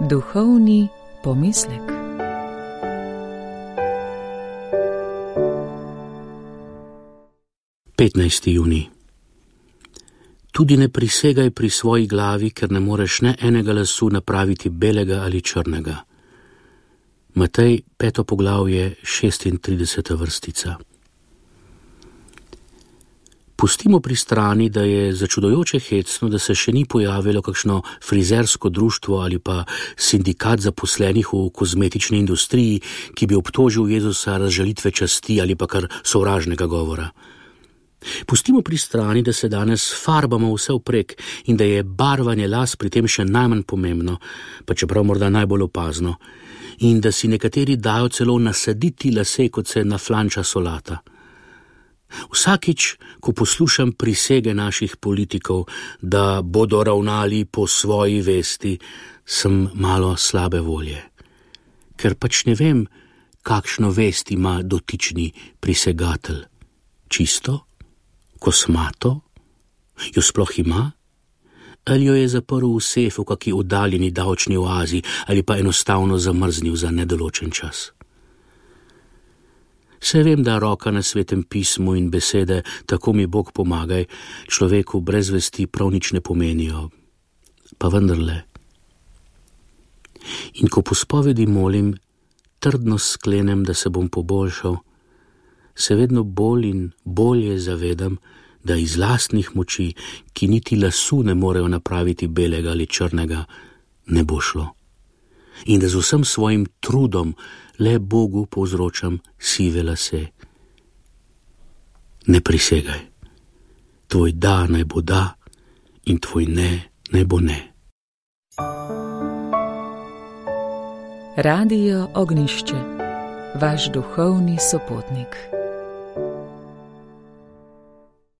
Duhovni pomislek. Junij. Tudi ne prisegaj pri svoji glavi, ker ne moreš ne enega lasu napraviti belega ali črnega. Matej, 5. poglavje, 36. vrstica. Pustimo pri strani, da je začudujoče hecno, da se še ni pojavilo kakšno frizersko društvo ali pa sindikat zaposlenih v kozmetični industriji, ki bi obtožil Jezusa razžalitve časti ali pa kar sovražnega govora. Pustimo pri strani, da se danes farbamo vse vprek in da je barvanje las pri tem še najmanj pomembno, pa čeprav morda najbolj opazno, in da si nekateri dajo celo nasaditi lase, kot se naflanča solata. Vsakič, ko poslušam prisege naših politikov, da bodo ravnali po svoji vesti, sem malo slabe volje. Ker pač ne vem, kakšno vest ima dotični prisegatelj. Čisto? Kosmato? Jo sploh ima? Ali jo je zaprl v sefu v kaki oddaljeni davčni oazi ali pa enostavno zamrznil za nedoločen čas? Saj vem, da roka na Svetem pismu in besede tako mi Bog pomagaj človeku brez vesti prav nič ne pomenijo. Pa vendarle. In ko po spovedi molim, trdno sklenem, da se bom poboljšal, se vedno bolj in bolje zavedam, da iz lastnih moči, ki niti lasu ne morejo napraviti belega ali črnega, ne bo šlo. In da z vsem svojim trudom le Bogu povzročam sive lase. Ne prisegaj. Tvoj da naj bo da in tvoj ne naj bo ne. Radio Ognjišče, vaš duhovni sopotnik.